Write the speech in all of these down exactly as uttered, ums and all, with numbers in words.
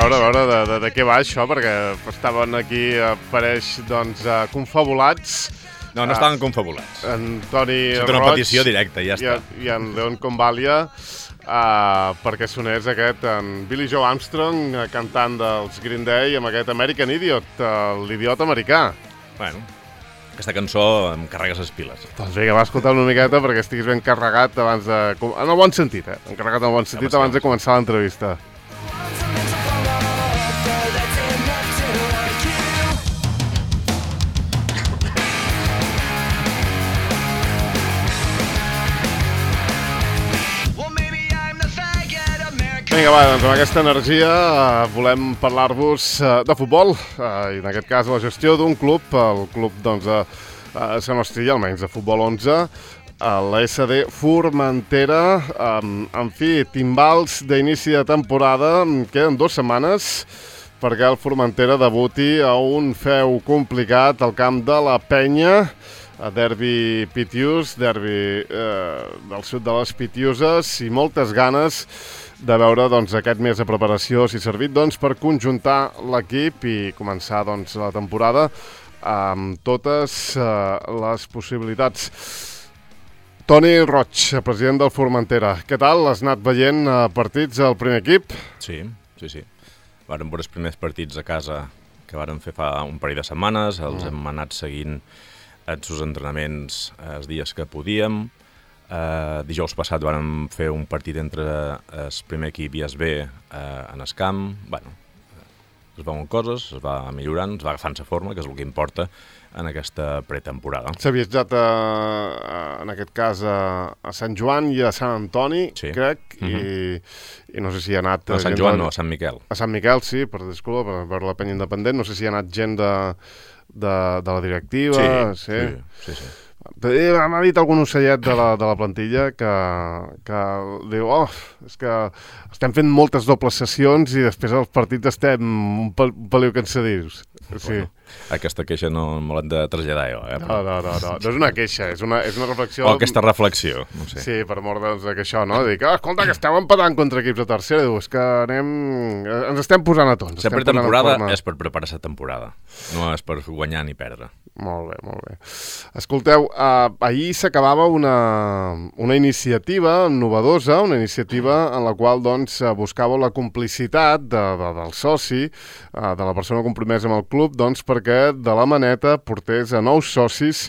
veure, a veure de, de, de què va això, perquè estaven aquí, apareix, doncs, uh, confabulats. No, no estaven confabulats. En Toni Roig... Sota una petició directa, ja està. I, i en Leon Convalia, uh, perquè sonés aquest, en Billy Joe Armstrong, uh, cantant dels Green Day, amb aquest American Idiot, uh, l'idiot americà. Bueno, aquesta cançó em carregues les piles. Doncs vinga, va escoltar una miqueta perquè estiguis ben carregat abans de... En el bon sentit, eh? Encarregat en el bon sentit abans de començar l'entrevista. Vinga, va, doncs amb aquesta energia uh, volem parlar-vos uh, de futbol, uh, i en aquest cas la gestió d'un club, el club, doncs, de uh, Sant Nostri, almenys de futbol onze, uh, la S D Formentera. Um, en fi, timbals d'inici de temporada, queden dues setmanes perquè el Formentera debuti a un feu complicat al camp de la Penya, a derbi Pitius, derbi uh, del sud de les Pitiuses, i moltes ganes de veure doncs, aquest mes de preparació si ha servit doncs, per conjuntar l'equip i començar doncs, la temporada amb totes uh, les possibilitats. Toni Roig, president del Formentera. Què tal? Has anat veient uh, partits al primer equip? Sí, sí, sí. Vàrem veure els primers partits a casa que vàrem fer fa un parell de setmanes, els mm. hem anat seguint els seus entrenaments els dies que podíem. Uh, dijous passat vam fer un partit entre el primer equip i es B uh, en el camp. Bueno, es veuen coses, es va millorant, es va agafant-se forma, que és el que importa en aquesta pretemporada. S'ha viatjat, a, a, en aquest cas, a, a Sant Joan i a Sant Antoni, sí. crec, uh-huh. i, i no sé si hi ha anat... No, a Sant Joan de... no, a Sant Miquel. A Sant Miquel, sí, per disculpa, per veure la Penya Independent. No sé si hi ha anat gent de, de, de la directiva. Sí, sí, sí, sí. sí. M'ha dit algun ocellet de la, de la plantilla que, que diu, oh, és que estem fent moltes dobles sessions i després als partits estem un, pel, un peliu cansadís. Sí. Bueno, aquesta queixa no me l'han de traslladar jo. Eh? No, no, no, no, no és una queixa, és una, és una reflexió... O aquesta reflexió, no sé. Sí, per mort doncs, que això, no? Dic, oh, escolta, que esteu empatant contra equips de tercera, diu, és que anem... ens estem posant a tots. Sempre temporada és per preparar-se temporada, no és per guanyar ni perdre. Molt bé, molt bé. Escolteu, eh, ahir s'acabava una, una iniciativa novedosa, una iniciativa en la qual doncs, buscàveu la complicitat de, de, del soci, eh, de la persona compromesa amb el club, doncs, perquè de la Maneta portés a nous socis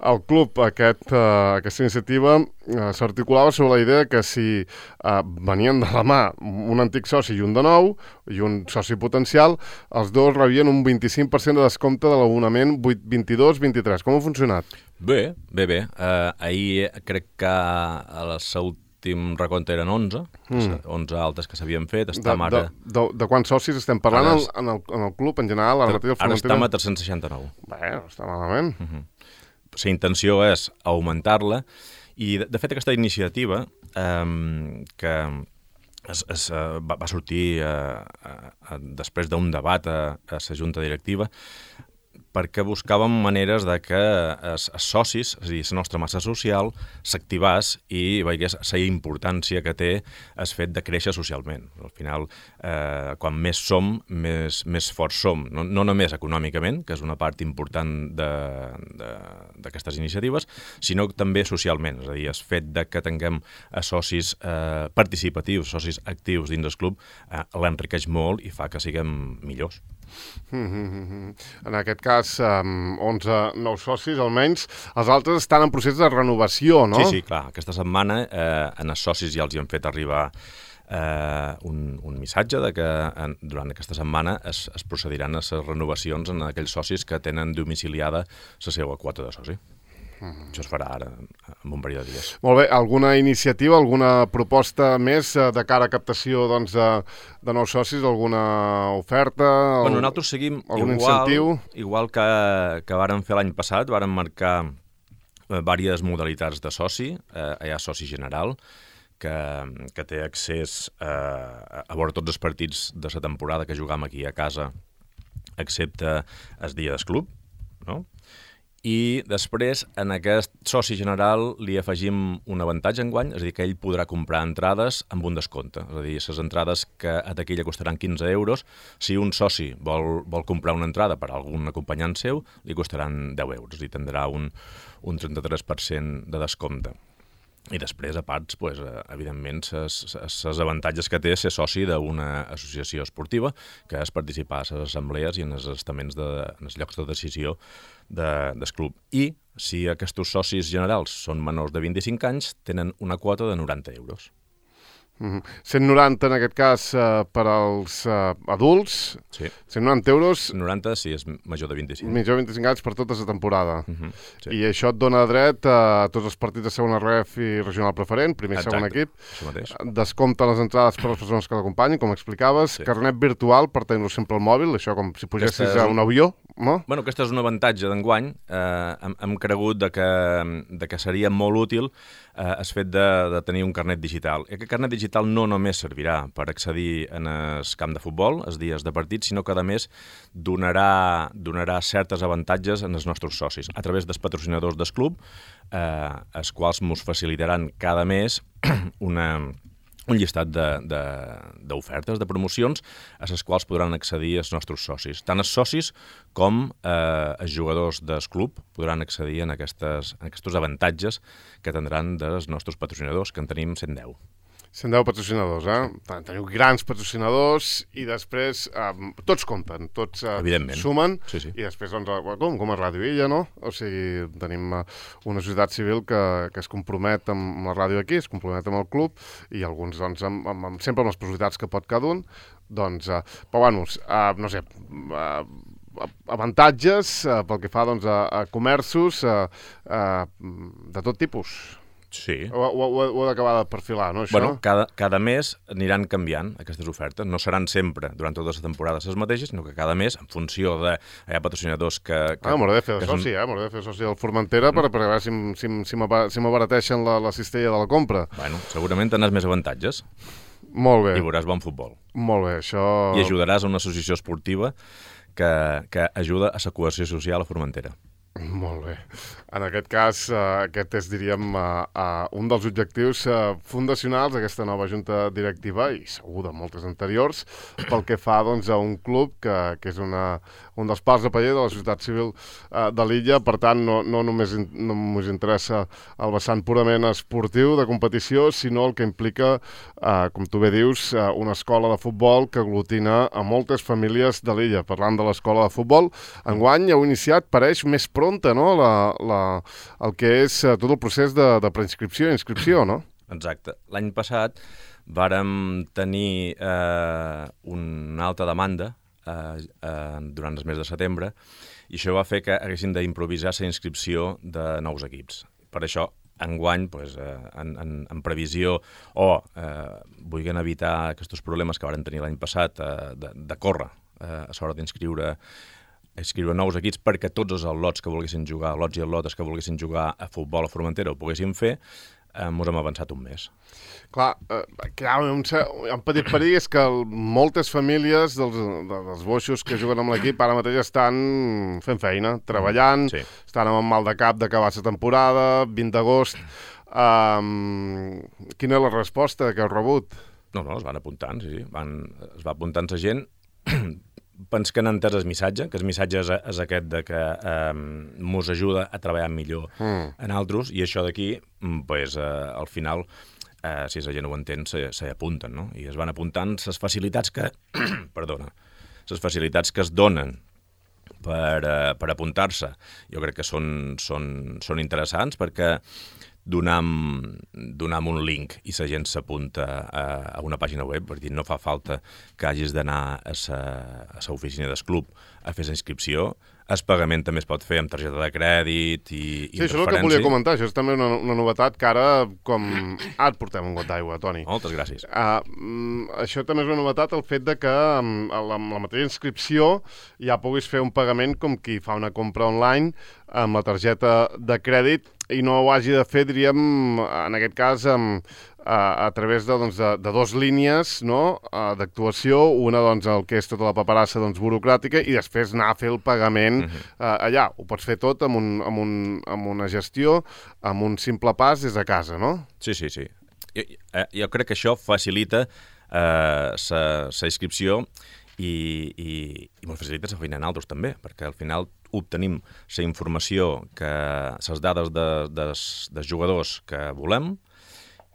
al club. Aquest, uh, aquesta iniciativa uh, s'articulava sobre la idea que si uh, venien de la mà un antic soci i un de nou, i un soci potencial, els dos rebien un vint-i-cinc per cent de descompte de l'abonament vint-i-dos vint-i-tres. Com ha funcionat? Bé, bé, bé. Uh, ahir crec que a la últim recompte eren onze, mm. onze altes que s'havien fet. Estem de, ara... de, de, de quants socis estem parlant ara, en, el, en el club en general? Ara, ara, ara estem a tres-cents seixanta-nou. Bé, no està malament. Uh-huh. La intenció és augmentar-la i, de, de fet, aquesta iniciativa eh, que es, es, va, va sortir eh, eh, després d'un debat a, a la junta directiva, perquè buscàvem maneres de que els, els socis, és a dir, la nostra massa social, s'activàs i veiés la importància que té el fet de créixer socialment. Al final, eh, quan més som, més, més forts som. No, no només econòmicament, que és una part important d'aquestes iniciatives, sinó també socialment. És a dir, el fet de que tinguem socis eh, participatius, socis actius dins del club, eh, l'enriqueix molt i fa que siguem millors. Mm-hmm. En aquest cas, um, onze nous socis almenys. Els altres estan en procés de renovació, no? Sí, sí, clar. Aquesta setmana eh, en els socis ja els hi han fet arribar eh, un, un missatge de que en, durant aquesta setmana es, es procediran a les renovacions en aquells socis que tenen domiciliada la seva quota de soci. Mm. Això es farà ara, en un període de dies. Molt bé. Alguna iniciativa, alguna proposta més de cara a captació doncs, de, de nous socis, alguna oferta? Bueno, nosaltres seguim algun igual, incentiu? Igual que, que vàrem fer l'any passat, vàrem marcar eh, diverses modalitats de soci. Eh, hi ha soci general, que, que té accés eh, a veure tots els partits de la temporada que jugam aquí a casa, excepte el dia del club, no? I després, en aquest soci general, li afegim un avantatge enguany, és a dir, que ell podrà comprar entrades amb un descompte. És a dir, les entrades que a taquilla costaran quinze euros, si un soci vol, vol comprar una entrada per a algun acompanyant seu, li costaran deu euros i tindrà un, un trenta-tres per cent de descompte. I després, a part, pues, evidentment, els avantatges que té ser soci d'una associació esportiva, que és participar a les assemblees i en els estaments, de, en els llocs de decisió de, del club. I, si aquests socis generals són menors de vint-i-cinc anys, tenen una quota de noranta euros. Mm-hmm. cent noranta en aquest cas uh, per als uh, adults, sí. cent noranta euros... noranta si és major de vint-i-cinc. Major de vint-i-cinc anys per tota la temporada. Mm-hmm. Sí. I això et dona dret a tots els partits de segona ref i regional preferent, primer i segon equip. Descompte les entrades per a les persones que l'acompanyin, com explicaves. Sí. Carnet virtual per tenir-lo sempre al mòbil, això com si pugessis Aquesta... a un avió. No? Bueno, aquest és un avantatge d'enguany. Eh, hem, hem cregut de que, de que seria molt útil eh, el fet de, de tenir un carnet digital. I aquest carnet digital no només servirà per accedir en el camp de futbol, els dies de partit, sinó que, a més, donarà, donarà certes avantatges en els nostres socis, a través dels patrocinadors del club, eh, els quals ens facilitaran cada mes una... un llistat d'ofertes, de, de, de promocions, a les quals podran accedir els nostres socis. Tant els socis com eh, els jugadors del club podran accedir en, aquestes, en aquests avantatges que tindran dels nostres patrocinadors, que en tenim cent deu. cent deu patrocinadors, eh? Teniu grans patrocinadors i després eh, tots compten, tots eh, sumen, sí, sí. I després, doncs, com, com a Ràdio Illa, no? O sigui, tenim uh, una societat civil que, que es compromet amb la ràdio aquí, es compromet amb el club, i alguns, doncs, amb, amb, amb, sempre amb les possibilitats que pot cada un, doncs, uh, però, bueno, uh, no sé, uh, avantatges uh, pel que fa, doncs, a, a comerços uh, uh, de tot tipus. Sí. Ho, ho, ho he d'acabar de perfilar, no, això? Bueno, cada, cada mes aniran canviant aquestes ofertes. No seran sempre, durant totes les temporades, les mateixes, sinó que cada mes, en funció de... Hi ha patrocinadors que... que ah, m'hauré de fer de soci, són... eh? M'hauré de fer soci del Formentera mm. per, per veure si, si, si m'abarateixen la, la cistella de la compra. Bueno, segurament tindràs més avantatges. Molt bé. I veuràs bon futbol. Molt bé, això... I ajudaràs a una associació esportiva que, que ajuda a la cohesió social a Formentera. Molt bé. En aquest cas, eh, aquest és, diríem, eh, eh, un dels objectius eh, fundacionals d'aquesta nova junta directiva, i segur de moltes anteriors, pel que fa, doncs, a un club que, que és una, un dels pals de paller de la societat civil eh, de l'illa. Per tant, no, no només in, no ens interessa el vessant purament esportiu de competició, sinó el que implica, eh, com tu bé dius, eh, una escola de futbol que aglutina a moltes famílies de l'illa. Parlant de l'escola de futbol, enguany heu iniciat, pareix, més pronta, no?, la, la, el que és uh, tot el procés de, de preinscripció i inscripció, no? Exacte. L'any passat vàrem tenir eh, una alta demanda eh, eh, durant el mes de setembre, i això va fer que haguéssim d'improvisar la inscripció de nous equips. Per això, enguany, pues, eh, en, en, en previsió o eh, vulguin evitar aquests problemes que varen tenir l'any passat eh, de, de córrer eh, a l'hora d'inscriure escriure nous equips perquè tots els al·lots que volguessin jugar, lots i al·lotes que volguessin jugar a futbol a Formentera ho poguessin fer, eh, ens hem avançat un mes. Clar, eh, que hi ha un, un petit perill és que moltes famílies dels, dels boixos que juguen amb l'equip ara mateix estan fent feina, treballant, sí. Estan amb el mal de cap d'acabar la temporada, vint d'agost. Um, quina és la resposta que heu rebut? No, no, es van apuntant, sí, sí. Van, es va apuntant la gent. Pens que han entès el missatge, que el missatge és, és aquest de que eh, mos ajuda a treballar millor mm. en altres, i això d'aquí, pues, eh, al final, eh, si la gent ho entén, s'hi apunten, no? I es van apuntant les facilitats que... perdona, les facilitats que es donen per, eh, per apuntar-se. Jo crec que són, són, són interessants perquè donam, donam un link i la gent s'apunta a, a una pàgina web, per dir, no fa falta que hagis d'anar a la oficina del club a fer la inscripció. El pagament també es pot fer amb targeta de crèdit i, i sí, això és el que volia comentar. Això és també una, una novetat que ara, com... Ah, et portem un got d'aigua, Toni. Moltes gràcies. Uh, això també és una novetat, el fet de que amb la, amb la mateixa inscripció ja puguis fer un pagament com qui fa una compra online amb la targeta de crèdit i no ho hagi de fer, diríem, en aquest cas, amb, a, a través de, doncs, de, de dos línies, no? uh, d'actuació, una doncs, el que és tota la paperassa doncs, burocràtica i després anar a fer el pagament uh-huh. uh, allà. Ho pots fer tot amb, un, amb, un, amb una gestió, amb un simple pas des de casa, no? Sí, sí, sí. Jo, jo crec que això facilita eh, sa, sa inscripció i, i, i molt facilita la feina en altres també, perquè al final obtenim la informació, que les dades de, dels, dels jugadors que volem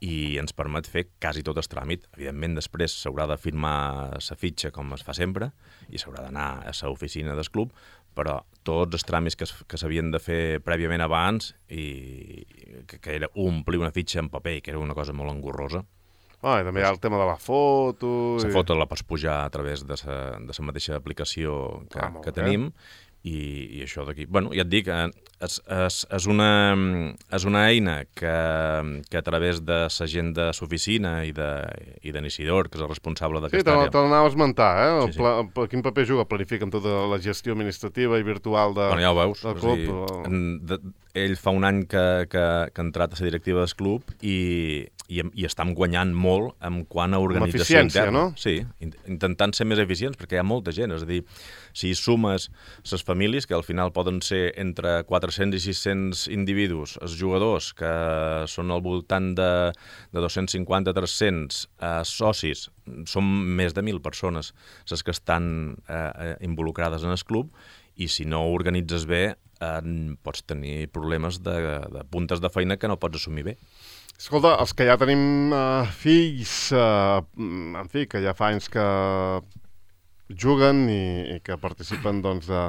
i ens permet fer quasi tot el tràmit. Evidentment, després s'haurà de firmar la fitxa com es fa sempre i s'haurà d'anar a l'oficina del club, però tots els tràmits que, que s'havien de fer prèviament abans i que, que era omplir una fitxa en paper, que era una cosa molt engorrosa. Ah, i també hi ha el tema de la foto... La i... foto la pots pujar a través de la, de la mateixa aplicació que, ah, que tenim i, i això d'aquí... Bueno, ja et dic, és, és, és, una, és una eina que, que a través de la gent de l'oficina i de, i de Isidor, que és el responsable d'aquesta sí, àrea... Sí, te l'anava a esmentar, eh? El sí, sí. Pla, quin paper juga? Planifica amb tota la gestió administrativa i virtual de, bueno, ja ho veus, del club? Dir, en, de, ell fa un any que, que, que ha entrat a la directiva del club i, i, i estem guanyant molt en quant a organització interna. No? Sí, intentant ser més eficients, perquè hi ha molta gent. És a dir, si sumes les famílies, que al final poden ser entre quatre-cents i sis-cents individus, els jugadors, que són al voltant de, de dos-cents cinquanta a tres-cents eh, socis, són més de mil persones les que estan eh, involucrades en el club, i si no ho organitzes bé, eh, pots tenir problemes de, de puntes de feina que no pots assumir bé. Escolta, els que ja tenim uh, fills, uh, en fi, que ja fa anys que juguen i, i que participen doncs, de,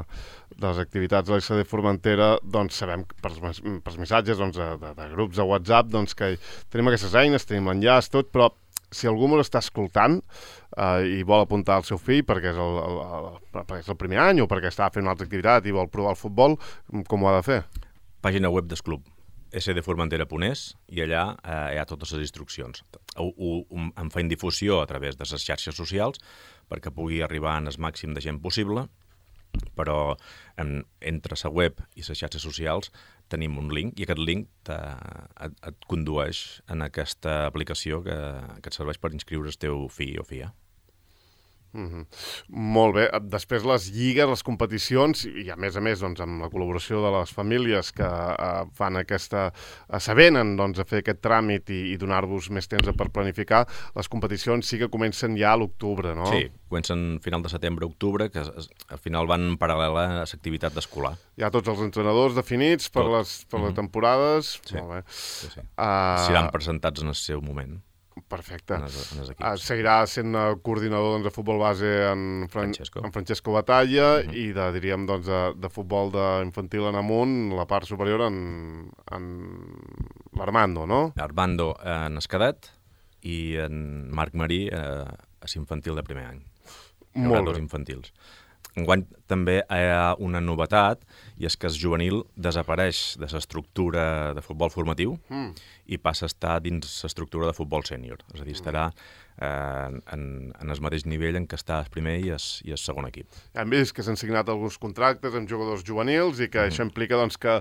de les activitats de l'A S D Formentera, doncs sabem per, per missatges doncs, de, de, de grups de WhatsApp doncs, que tenim aquestes eines, tenim l'enllaç, tot, però si algú m'ho està escoltant uh, i vol apuntar el seu fill perquè és el, el, el, perquè és el primer any o perquè està fent una altra activitat i vol provar el futbol, com ho ha de fer? Pàgina web del club. s d formentera punt es i allà eh, hi ha totes les instruccions. Ho, ho, en feim difusió a través de les xarxes socials perquè pugui arribar en el màxim de gent possible, però en, entre la web i les xarxes socials tenim un link i aquest link te, et, et condueix en aquesta aplicació que, que et serveix per inscriure el teu fill o filla. Mm-hmm. Molt bé. Després les lligues, les competicions i a més a més doncs, amb la col·laboració de les famílies que uh, fan aquesta uh, s'avenen doncs, a fer aquest tràmit i, i donar-vos més temps per planificar, les competicions sí que comencen ja a l'octubre, no? Sí, comencen final de setembre-octubre, que es, al final van en paral·lel a l'activitat escolar. Hi ha tots els entrenadors definits per, les, per mm-hmm. les temporades? Sí, molt bé. Sí, sí. Uh... Seran presentats en el seu moment. Perfecte. En els, en els uh, seguirà sent uh, coordinador doncs, de futbol base en, Fran Francesco. en Francesco Batalla uh-huh. i de, diríem, doncs, de, de futbol de infantil en amunt, la part superior en, en l'Armando, no? Armando en escadet i en Marc Marí eh, a l'infantil de primer any. Molt bé. Dos infantils. Enguany també hi ha una novetat i és que el juvenil desapareix de l'estructura de futbol formatiu mm. i passa a estar dins l'estructura de futbol sènior. És a dir, estarà eh, en, en el mateix nivell en què està el primer i el, i el segon equip. Hem vist que s'han signat alguns contractes amb jugadors juvenils i que mm. això implica doncs, que,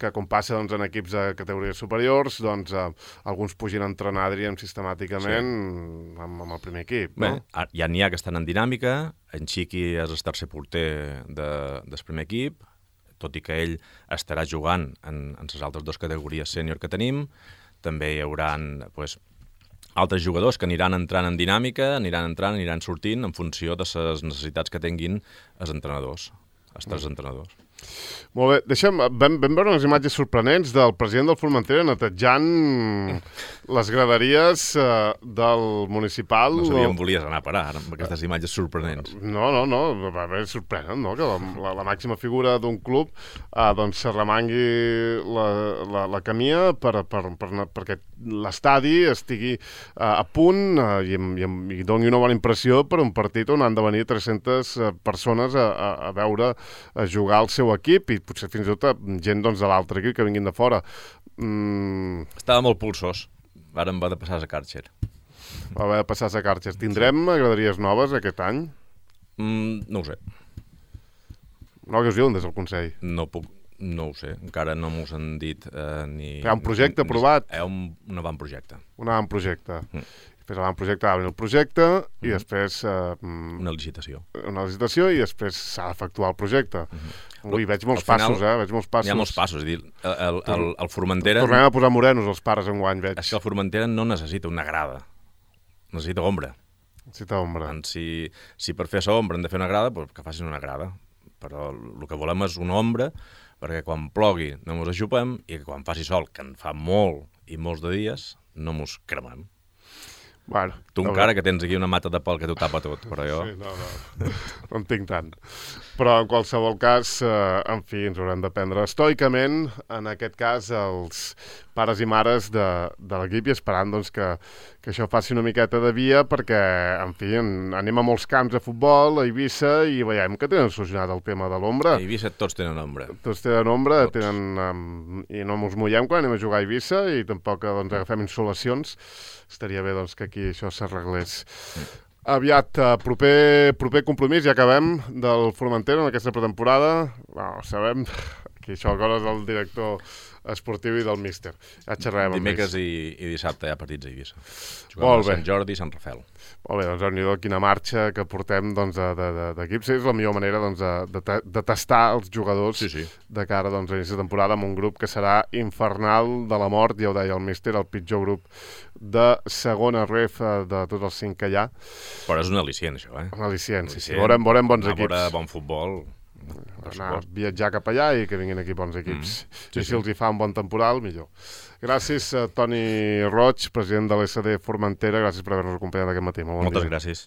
que com passa doncs, en equips de categories superiors, doncs, eh, alguns pugin a entrenar, diríem, sistemàticament sí. amb, amb el primer equip. Bé, no? Ja n'hi ha que estan en dinàmica, en Xiqui és el tercer porter de, del primer equip, tot i que ell estarà jugant en, en les altres dues categories sènior que tenim. També hi haurà pues, altres jugadors que aniran entrant en dinàmica, aniran entrant, aniran sortint en funció de les necessitats que tinguin els entrenadors, els tres mm. entrenadors. Molt bé, deixa'm, vam, vam veure unes imatges sorprenents del president del Formentera netejant les graderies uh, del municipal. No sabia on volies anar a parar amb aquestes imatges sorprenents. No, no, no, va bé sorprenent, no?, que la, la, la màxima figura d'un club uh, doncs s'arremangui la, la, la camia per, per, per, perquè l'estadi estigui uh, a punt uh, i, i, i doni una bona impressió per un partit on han de venir tres-centes persones a, a, a veure a jugar al seu equip i potser fins i tot gent doncs, de l'altre equip que vinguin de fora. Mm. Estava molt pulsós. Ara em va de passar a Karcher. Va haver de passar a Karcher. Tindrem graderies noves aquest any? Mm, no ho sé. No, que us diuen des del Consell? No puc, No ho sé, encara no m'ho han dit eh, ni... Hi ha un projecte ni, aprovat? Hi ha un, un avantprojecte. Un avantprojecte. Mm. Després l'avantprojecte va venir el projecte i mm. després... Eh, una licitació. Una licitació i després s'ha d'efectuar el projecte. Mm-hmm. Ui, veig molts final, passos, eh? Veig molts passos. Hi ha molts passos. És dir, el, el, el, el Formentera... Tornem a posar morenos els pares enguany, veig. És que el Formentera no necessita una grada. Necessita ombra. Necessita ombra. Si, si per fer aquesta ombra hem de fer una grada, doncs que facin una grada. Però el que volem és una ombra perquè quan plogui no mos aixupem i que quan faci sol, que en fa molt i molts de dies, no mos cremem. Bueno, tu encara que tens aquí una mata de pal que t'ho tapa tot, però jo... Sí, no, no, no en tinc tant. Però en qualsevol cas, eh, en fi, ens haurem de prendre estoicament, en aquest cas, els pares i mares de, de l'equip i esperant doncs, que, que això faci una miqueta de via perquè, en fi, en, anem a molts camps de futbol, a Eivissa, i veiem que tenen solucionat el tema de l'ombra. A Eivissa tots tenen ombra. Tots tenen ombra, tots. Tenen, um, i no ens mullem quan anem a jugar a Eivissa i tampoc doncs, agafem insolacions. Estaria bé doncs, que aquí això s'arreglés. Mm. Aviat, uh, proper, proper compromís, ja acabem, del Formentera en aquesta pretemporada. Bueno, sabem que això coses del director esportiu i del míster. Ja xerrem amb ells. Dimecres i, i dissabte hi ha partits a Eivissa. Juguem Molt a bé. Sant Jordi i Sant Rafel. Molt bé, doncs déu-n'hi-do quina marxa que portem doncs, d'equips. És la millor manera doncs, de, de, de tastar els jugadors sí, sí. de cara doncs, a l'inici de temporada amb un grup que serà infernal de la mort, ja ho deia el míster, el pitjor grup de segona ref de tots els cinc que hi ha. Però és un al·licient, això, eh? Un al·licient, sí, sí. Veurem, veurem bons equips. Veure bon futbol. Anar a viatjar cap allà i que vinguin aquí bons equips. Mm, sí, I si sí. els hi fa un bon temporal, millor. Gràcies a Toni Roig, president de l'S D Formentera. Gràcies per haver-nos acompanyat aquest matí. Molt bon Moltes dia. gràcies.